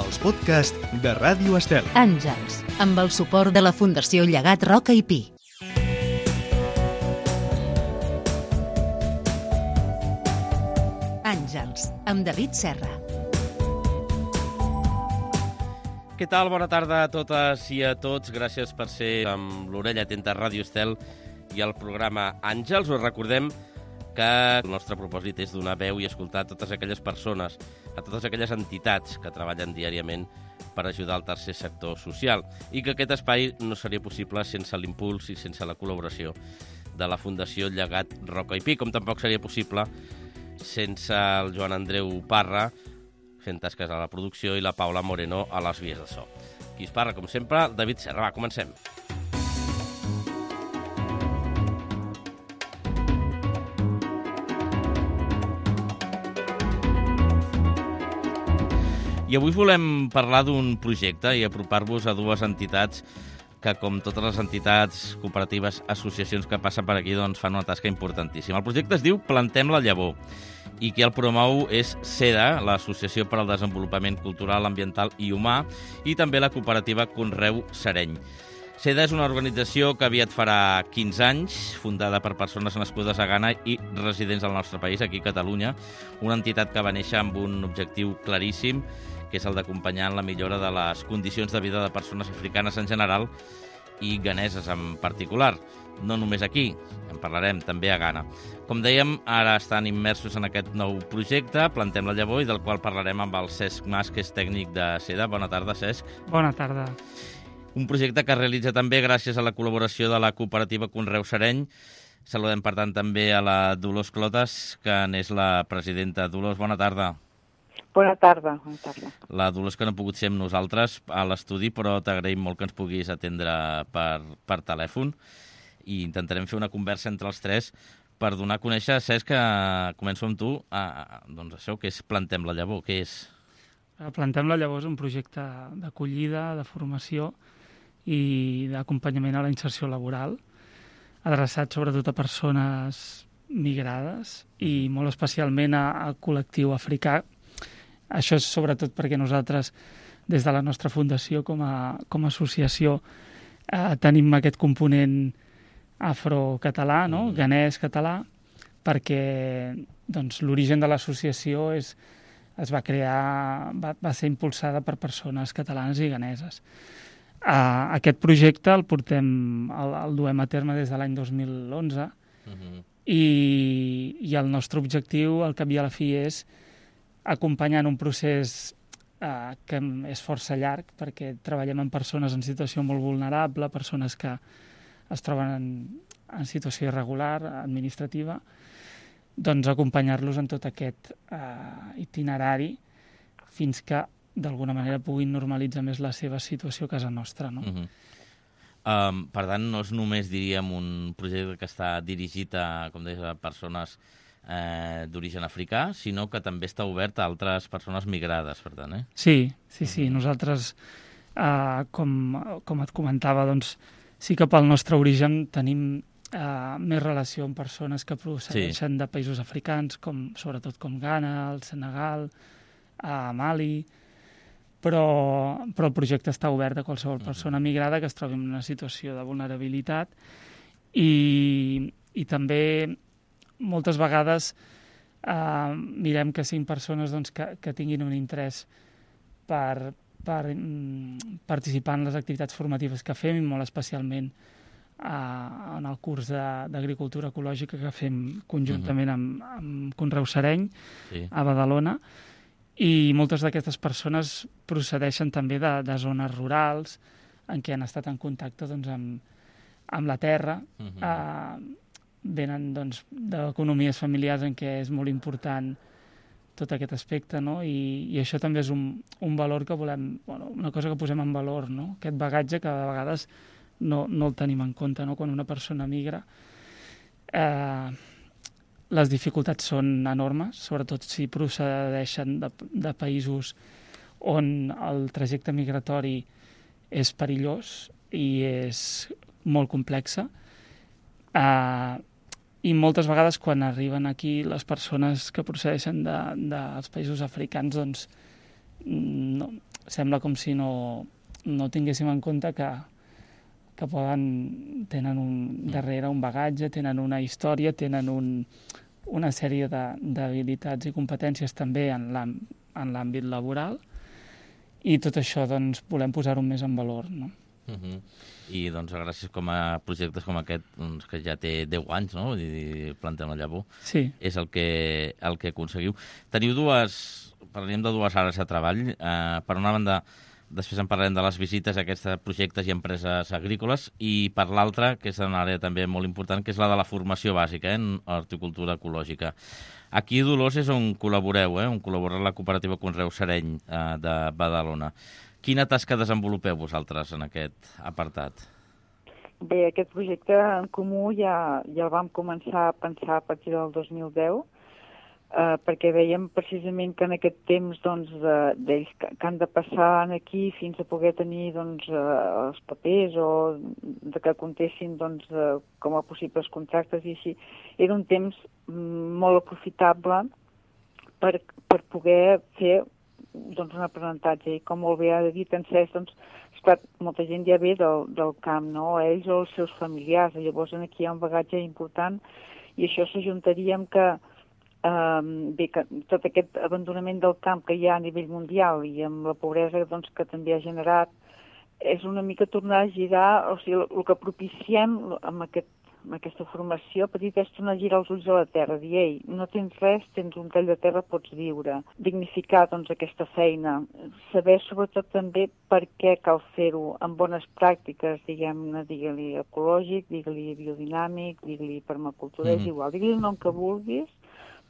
els podcasts de Ràdio Estel. Àngels, amb el suport de la Fundació Llegat Roca i Pi. Àngels, amb David Serra. Què tal? Bona tarda a totes i a tots. Gràcies per ser amb l'orella atenta a Ràdio Estel i al programa Àngels. Us recordem que el nostre propòsit és donar veu i escoltar a totes aquelles persones, a totes aquelles entitats que treballen diàriament per ajudar al tercer sector social i que aquest espai no seria possible sense l'impuls i sense la col·laboració de la Fundació Llegat Roca i Pi, com tampoc seria possible sense el Joan Andreu Parra fent tasques a la producció i la Paula Moreno a les vies de so. Qui us parla, com sempre, David Serra. Va, comencem. I avui volem parlar d'un projecte i apropar-vos a dues entitats que, com totes les entitats, cooperatives, associacions que passen per aquí, doncs fan una tasca importantíssima. El projecte es diu Plantem la Llavor i qui el promou és SEDA, l'Associació per al Desenvolupament Cultural, Ambiental i Humà, i també la cooperativa Conreu Sereny. SEDA és una organització que aviat farà 15 anys, fundada per persones nascudes a Ghana i residents al nostre país, aquí a Catalunya, una entitat que va néixer amb un objectiu claríssim, que és el d'acompanyar en la millora de les condicions de vida de persones africanes en general i ghaneses en particular. No només aquí, en parlarem també a Ghana. Com dèiem, ara estan immersos en aquest nou projecte, Plantem la Llavor, i del qual parlarem amb el Cesc Mas, que és tècnic de SEDA. Bona tarda, Cesc. Bona tarda. Un projecte que es realitza també gràcies a la col·laboració de la cooperativa Conreu Sereny. Saludem, per tant, també a la Dolors Clotas, que n'és la presidenta. Dolors, bona tarda. Bona tarda, bona tarda. La Dolors, que no ha pogut ser amb nosaltres a l'estudi, però t'agraïm molt que ens puguis atendre per telèfon i intentarem fer una conversa entre els tres per donar a conèixer, Cesc, que començo amb tu, doncs això, que és Plantem la Llavor, què és? Plantem la Llavor és un projecte d'acollida, de formació i d'acompanyament a la inserció laboral, adreçat sobretot a persones migrades i molt especialment al col·lectiu africà. Això és sobretot perquè nosaltres, des de la nostra fundació com a associació, tenim aquest component afrocatalà, no? Ghanès català, perquè doncs, l'origen de l'associació va ser impulsada per persones catalanes i ghaneses. Aquest projecte el duem a terme des de l'any 2011 i el nostre objectiu, al cap i a la fi, és acompanyant un procés que és força llarg, perquè treballem amb persones en situació molt vulnerable, persones que es troben en situació irregular, administrativa, doncs acompanyar-los en tot aquest itinerari fins que d'alguna manera puguin normalitzar més la seva situació a casa nostra, no? Per tant, no és només, diríem, un projecte que està dirigit a, com deies, a persones d'origen africà, sinó que també està obert a altres persones migrades, per tant, eh? Sí. Nosaltres, com et comentava, doncs, sí que pel nostre origen tenim més relació amb persones que procedeixen de països africans, sobretot com Ghana, el Senegal, Mali, però el projecte està obert a qualsevol persona migrada que es trobi en una situació de vulnerabilitat i també moltes vegades mirem que siguin persones doncs, que tinguin un interès per participar en les activitats formatives que fem, i molt especialment en el curs d'agricultura ecològica que fem conjuntament amb Conreu Sereny a Badalona. I moltes d'aquestes persones procedeixen també de zones rurals en què han estat en contacte doncs, amb la terra, venen doncs, d'economies familiars en què és molt important tot aquest aspecte, no? I això també és un valor que volem, una cosa que posem en valor, no? Aquest bagatge que de vegades no el tenim en compte, no? Quan una persona migra, les dificultats són enormes, sobretot si procedeixen de països on el trajecte migratori és perillós i és molt complexa. I moltes vegades quan arriben aquí les persones que procedeixen dels països africans doncs sembla com si no tinguéssim en compte que tenen darrere un bagatge, tenen una història, tenen una sèrie d'habilitats i competències també en l'àmbit laboral, i tot això doncs, volem posar-ho més en valor, no? I doncs gràcies a projectes com aquest, doncs, que ja té 10 anys, no? Plantem la llavor. Sí. És el que aconseguiu. Teniu parlem de dues àrees de treball. Per una banda, després en parlarem de les visites a aquests projectes i empreses agrícoles, i per l'altra, que és una àrea també molt important, que és la de la formació bàsica en horticultura ecològica. Aquí a Dolors és on col·laboreu, on col·labora la cooperativa Conreu Sereny de Badalona. Quina tasca desenvolupeu vosaltres en aquest apartat? Bé, aquest projecte en comú ja el vam començar a pensar a partir del 2010, perquè veiem precisament que en aquest temps d'ells que han de passar aquí fins a poder tenir els papers o que comptessin com a possibles contractes i així, era un temps molt aprofitable per poder fer un aprenentatge. I com molt bé ha dit en Cesc, esclar, molta gent ja ve del camp, no? Ells o els seus familiars, llavors aquí hi ha un bagatge important, i això s'ajuntaria amb que que tot aquest abandonament del camp que hi ha a nivell mundial i amb la pobresa que també ha generat, és una mica tornar a girar, o sigui, el que propiciem amb aquesta formació petita és tornar a girar els ulls a la terra, dir, ei, no tens res, tens un tall de terra, pots viure. Dignificar, aquesta feina. Saber, sobretot, també per què cal fer-ho amb bones pràctiques, diguem-ne, digue-li ecològic, digue-li biodinàmic, digue-li permacultura, és igual, digue-li el nom que vulguis,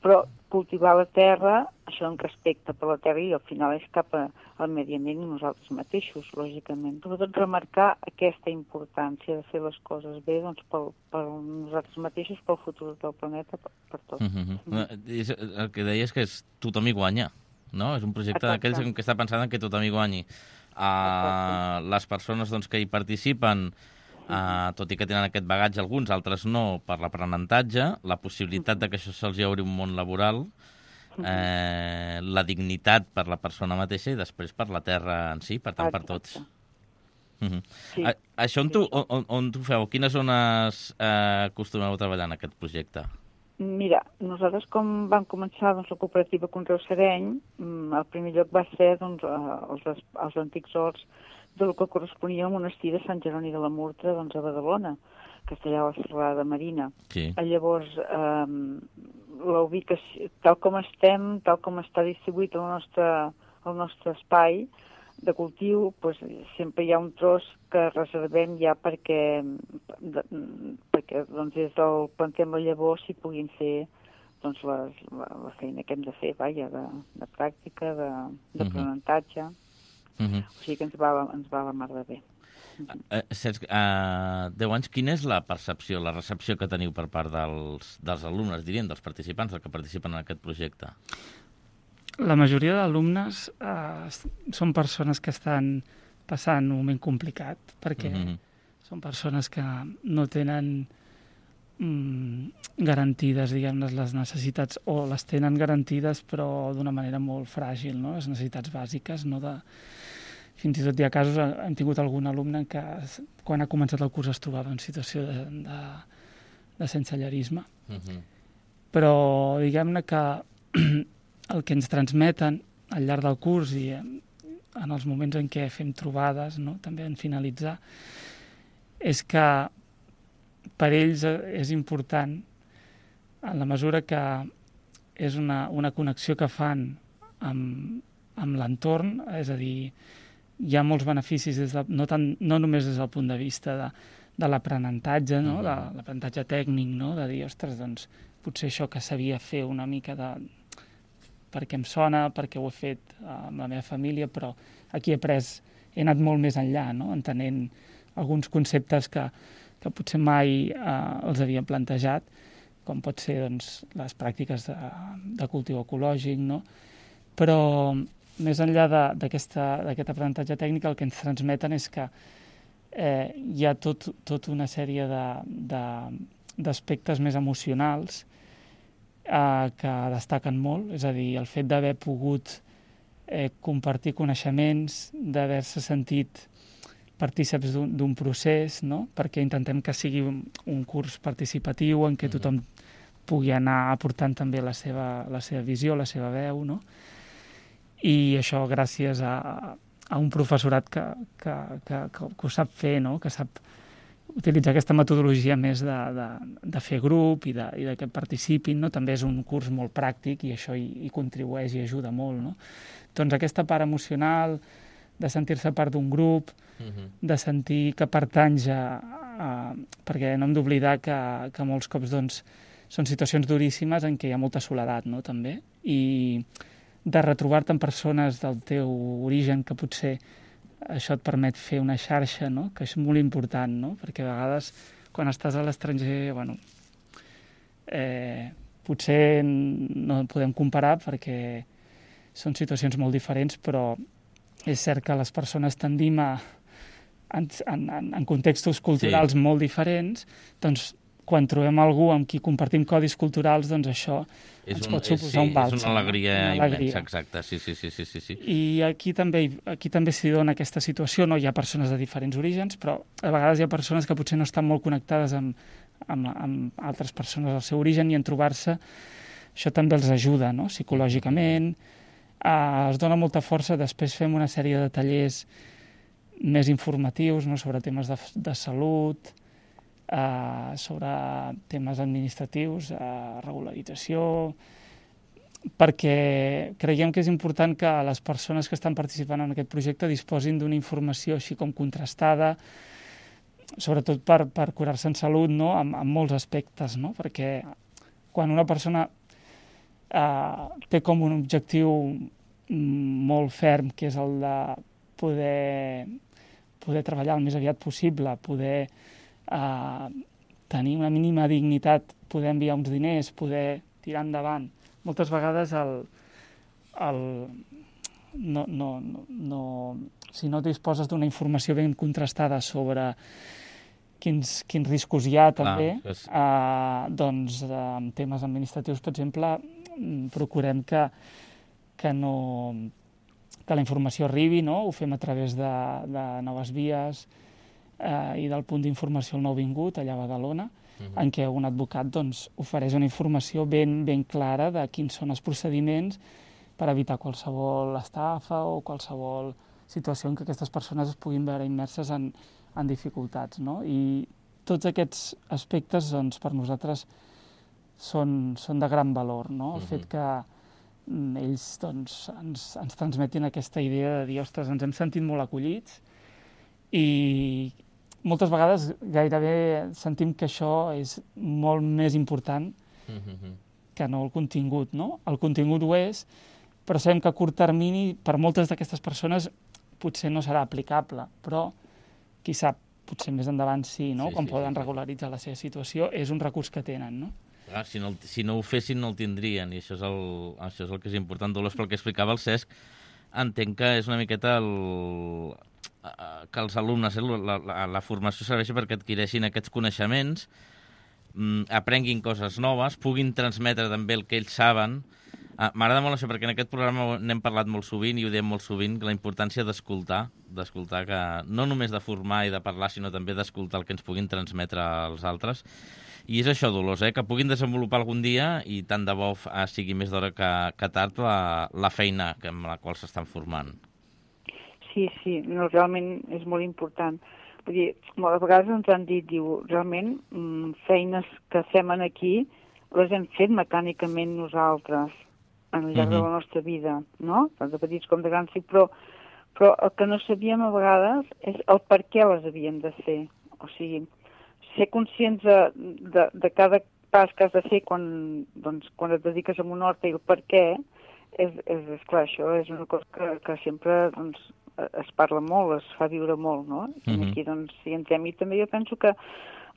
però cultivar la terra, això en respecte per la terra, i al final és cap al medi ambient i nosaltres mateixos, lògicament. Sobretot remarcar aquesta importància de fer les coses bé per nosaltres mateixos, pel futur del planeta, per tot. El que deies que és tothom hi guanya, no? És un projecte d'aquells que està pensant que tothom hi guanyi. Les persones que hi participen, tot i que tenen aquest bagatge alguns, altres no, per l'aprenentatge, la possibilitat de que això se'ls obri un món laboral, la dignitat per la persona mateixa i després per la terra en si, per tant, per tots. Això on t'ho feu? Quines zones acostumeu a treballar en aquest projecte? Mira, nosaltres com vam començar la cooperativa Conreu Sereny, el primer lloc va ser els antics horts del que corresponia al monestir de Sant Jeroni de la Murtra, a Badalona, que està allà a la serrada Marina. Sí. Llavors, la ubicació, tal com estem, tal com està distribuït el nostre espai de cultiu, sempre hi ha un tros que reservem ja perquè des del plantem la llavor s'hi puguin fer la feina que hem de fer, de pràctica, d'aprenentatge. O sigui que ens va la mar de bé. Cesc, 10 anys, quina és la percepció, la recepció que teniu per part dels alumnes, diríem, dels participants, que participen en aquest projecte? La majoria d'alumnes són persones que estan passant un moment complicat, perquè són persones que no tenen garantides, diguem-ne, les necessitats, o les tenen garantides però d'una manera molt fràgil, no? Les necessitats bàsiques, no? Fins i tot hi ha casos, hem tingut algun alumne que quan ha començat el curs es trobava en situació de sensellarisme. Però diguem-ne que el que ens transmeten al llarg del curs i en els moments en què fem trobades, no? També en finalitzar, és que per ells és important en la mesura que és una connexió que fan amb l'entorn, és a dir, hi ha molts beneficis no només des del punt de vista de l'aprenentatge, no? De l'aprenentatge tècnic, no? De dir, ostres, doncs potser això que sabia fer una mica perquè em sona, perquè ho he fet amb la meva família, però aquí he anat molt més enllà, no? Entenent alguns conceptes que potser mai els havien plantejat, com pot ser les pràctiques de cultiu ecològic, no? Però més enllà d'aquest aprenentatge tècnic, el que ens transmeten és que hi ha tot una sèrie d'aspectes més emocionals que destaquen molt, és a dir, el fet d'haver pogut compartir coneixements, d'haver-se sentit partíceps d'un procés, no? Perquè intentem que sigui un curs participatiu en què tothom pugui anar aportant també la seva visió, la seva veu, no? I això gràcies a un professorat que ho sap fer, no? Que sap utilitzar aquesta metodologia més de fer grup i de que participin, no? També és un curs molt pràctic i això hi contribueix i ajuda molt, no? Doncs aquesta part emocional, de sentir-se part d'un grup, de sentir que pertanys perquè no hem d'oblidar que molts cops doncs, són situacions duríssimes en què hi ha molta soledat, no? També, i de retrobar-te amb persones del teu origen que potser això et permet fer una xarxa, no? Que és molt important, no? Perquè a vegades quan estàs a l'estranger, bueno, potser no podem comparar perquè són situacions molt diferents, però és cert que les persones tendim en contextos culturals molt diferents, doncs quan trobem algú amb qui compartim codis culturals, doncs això ens pot suposar un bàlsam. És una alegria immensa, exacte, sí. I aquí també s'hi dona aquesta situació, no? Hi ha persones de diferents orígens, però a vegades hi ha persones que potser no estan molt connectades amb altres persones del seu origen i en trobar-se això també els ajuda, no? Psicològicament, es dona molta força, després fem una sèrie de tallers més informatius, no? Sobre temes de salut, sobre temes administratius, regularització, perquè creiem que és important que les persones que estan participant en aquest projecte disposin d'una informació així com contrastada, sobretot per curar-se en salut, no? En molts aspectes, no? Perquè quan una persona té com un objectiu molt ferm, que és el de poder treballar el més aviat possible, poder tenir una mínima dignitat, poder enviar uns diners, poder tirar endavant. Moltes vegades si no disposes d'una informació ben contrastada sobre quins riscos hi ha també, doncs en temes administratius, per exemple, procurem que la informació arribi, no? Ho fem a través de noves vies i del punt d'informació al nouvingut, allà a Badalona, en què un advocat doncs, ofereix una informació ben clara de quins són els procediments per evitar qualsevol estafa o qualsevol situació en què aquestes persones es puguin veure immerses en dificultats, no? I tots aquests aspectes, doncs, per nosaltres són de gran valor, no? El fet que ells doncs, ens transmetin aquesta idea de dir, ostres, ens hem sentit molt acollits i moltes vegades gairebé sentim que això és molt més important que no el contingut, no? El contingut ho és, però sabem que a curt termini per moltes d'aquestes persones potser no serà aplicable, però qui sap, potser més endavant sí, no? Quan poden regularitzar la seva situació, és un recurs que tenen, no? Clar, si no ho fessin no el tindrien, i això és el que és important. Dolors, pel que explicava el Cesc, entenc que és una miqueta que els alumnes, la formació serveixi perquè adquireixin aquests coneixements, aprenguin coses noves, puguin transmetre també el que ells saben. M'agrada molt això, perquè en aquest programa n'hem parlat molt sovint i ho diem molt sovint, la importància d'escoltar, que no només de formar i de parlar, sinó també d'escoltar el que ens puguin transmetre els altres. I és això, Dolors, que puguin desenvolupar algun dia, i tant de bo sigui més d'hora que tard, la feina amb la qual s'estan formant. Sí, no, realment és molt important. Vull dir, moltes vegades ens han dit, realment, feines que fem aquí les hem fet mecànicament nosaltres al llarg de la nostra vida, no? Tant de petits com de grans, però el que no sabíem a vegades és el per què les havíem de fer. O sigui, ser conscients de cada pas que has de fer quan et dediques a un hort i el per què, és clar, això és una cosa que sempre doncs, es parla molt, es fa viure molt, no? I aquí doncs hi entrem. I també jo penso que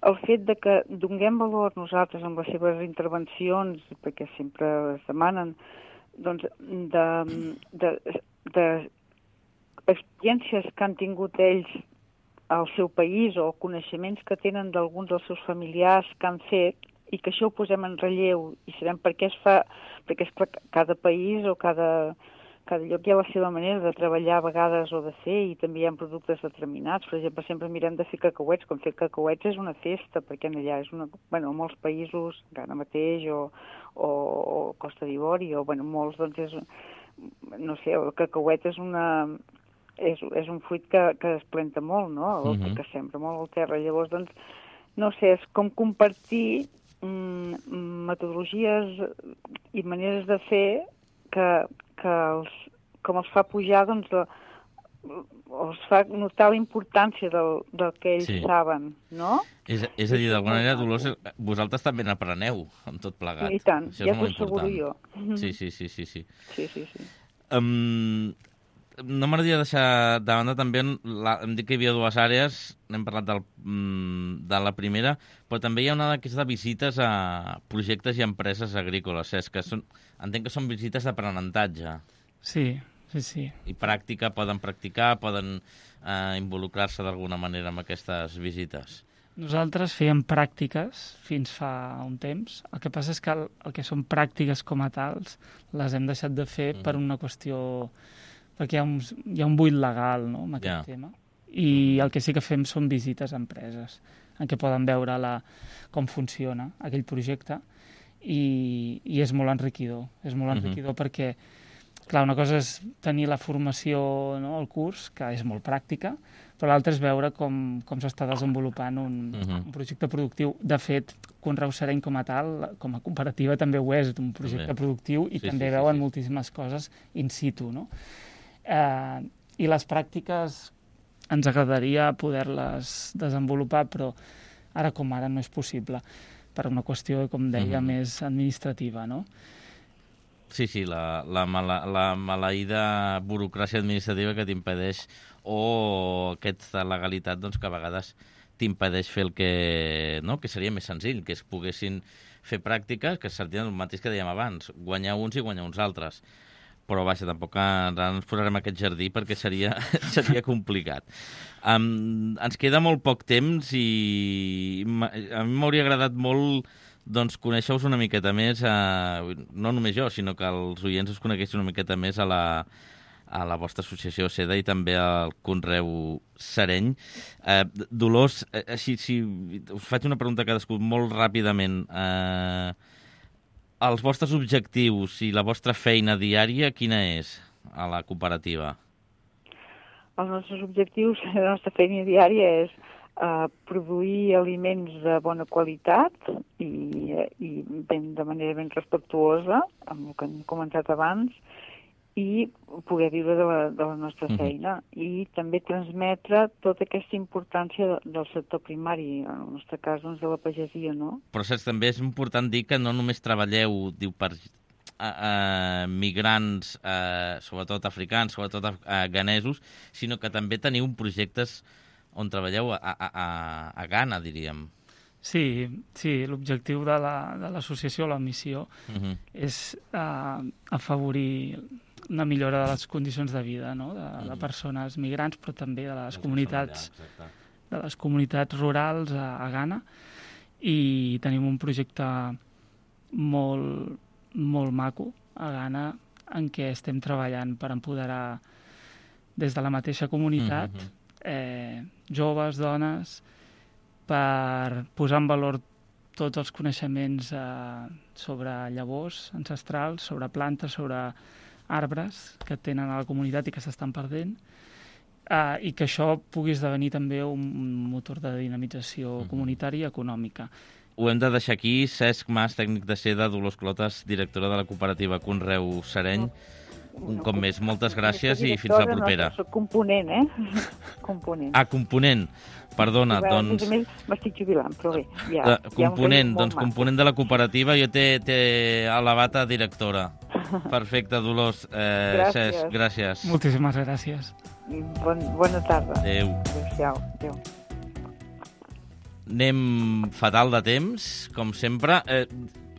el fet de que donem valor nosaltres amb les seves intervencions, perquè sempre es demanen, doncs, de experiències que han tingut ells al seu país o coneixements que tenen d'alguns dels seus familiars que han fet i que això ho posem en relleu i sabem per què es fa, perquè és clar, cada país o cada cada lloc hi ha la seva manera de treballar a vegades o de fer, i també hi ha productes determinats. Per exemple, sempre mirem de fer cacauets, com fer cacauets és una festa, perquè allà és una... Bueno, en molts països, Ghana mateix, o Costa d'Ivori, o bueno, molts, doncs és... No sé, el cacauet és és un fruit que es planta molt, no? Que sembra molt al terra. Llavors, doncs, no sé, és com compartir metodologies i maneres de fer com els fa pujar, doncs, els fa notar la importància del que ells saben, no? És a dir, d'alguna manera, Dolors, vosaltres també n'apreneu amb tot plegat. I tant, això ja t'ho asseguro jo. Sí. No m'agradaria deixar de banda també, hem dit que hi havia dues àrees, n'hem parlat de la primera, però també hi ha una que és de visites a projectes i empreses agrícoles, que entenc que són visites d'aprenentatge. Sí. I pràctica, poden practicar, poden involucrar-se d'alguna manera amb aquestes visites. Nosaltres fèiem pràctiques fins fa un temps. El que passa és que el que són pràctiques com a tals les hem deixat de fer per una qüestió... perquè hi ha un buit legal, no?, amb aquest tema. I el que sí que fem són visites a empreses en què poden veure com funciona aquell projecte, i és molt enriquidor. És molt enriquidor perquè, clar, una cosa és tenir la formació, no?, al curs, que és molt pràctica, però l'altra és veure com s'està desenvolupant un projecte productiu. De fet, Conreu Sereny com a tal, com a cooperativa, també ho és un projecte productiu, i també veuen moltíssimes coses in situ, no? I les pràctiques ens agradaria poder-les desenvolupar, però ara com ara no és possible, per una qüestió, com deia, més administrativa, no? Sí, la maleïda burocràcia administrativa que t'impedeix, o aquesta legalitat, doncs, que a vegades t'impedeix fer el que seria més senzill, que es poguessin fer pràctiques que serien el mateix que dèiem abans, guanyar uns i guanyar uns altres. Però, vaja, tampoc ara ens posarem a aquest jardí perquè seria complicat. Ens queda molt poc temps i a mi m'hauria agradat molt, doncs, conèixer-vos una miqueta més, no només jo, sinó que els oients us coneguessin una miqueta més a la vostra associació SEDA i també al Conreu Sereny. Dolors, si us faig una pregunta a cadascú molt ràpidament. Els vostres objectius i la vostra feina diària, quina és a la cooperativa? Els nostres objectius, la nostra feina diària és produir aliments de bona qualitat i de manera ben respectuosa, amb el que hem comentat abans, i poder viure de la nostra feina, i també transmetre tota aquesta importància del sector primari, en el nostre cas, doncs, de la pagesia, no? Però saps, també és important dir que no només treballeu, per migrants, sobretot africans, sobretot ganesos, sinó que també teniu projectes on treballeu a Ghana, diríem. Sí, l'objectiu de l'associació, la missió, és afavorir una millora de les condicions de vida, no?, de persones migrants, però també de les comunitats rurals a Ghana, i tenim un projecte molt, molt maco a Ghana en què estem treballant per empoderar des de la mateixa comunitat joves, dones, per posar en valor tots els coneixements sobre llavors ancestrals, sobre plantes, sobre arbres que tenen a la comunitat i que s'estan perdent, i que això pugui esdevenir també un motor de dinamització comunitària i econòmica. Ho hem de deixar aquí. Cesc Mas, tècnic de SEDA, Dolors Clotas, directora de la cooperativa Conreu Sereny. Un cop més, moltes gràcies i fins la propera. Soc component, Component. Component. Perdona, doncs... A més, m'estic jubilant, però bé. Component de la cooperativa, jo t'he elevat a directora. Perfecte, Dolors. Cesc, gràcies. Moltíssimes gràcies. Bona tarda. Adéu. Adéu. Anem fatal de temps, com sempre.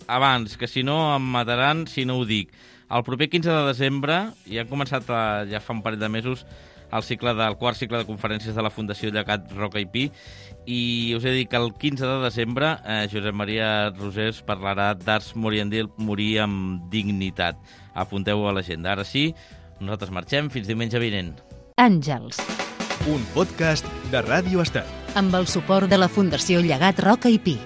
Abans, que si no em mataran si no ho dic. El proper 15 de desembre, ja han començat ja fa un parell de mesos, el quart cicle de conferències de la Fundació Llegat Roca i Pi, i us he dit que el 15 de desembre Josep Maria Rosés parlarà d'arts morir amb dignitat. Apunteu-ho a l'agenda. Ara sí, Nosaltres marxem fins diumenge vinent. Àngels, Un podcast de Ràdio Estel. amb el suport de la Fundació Llegat Roca i Pi.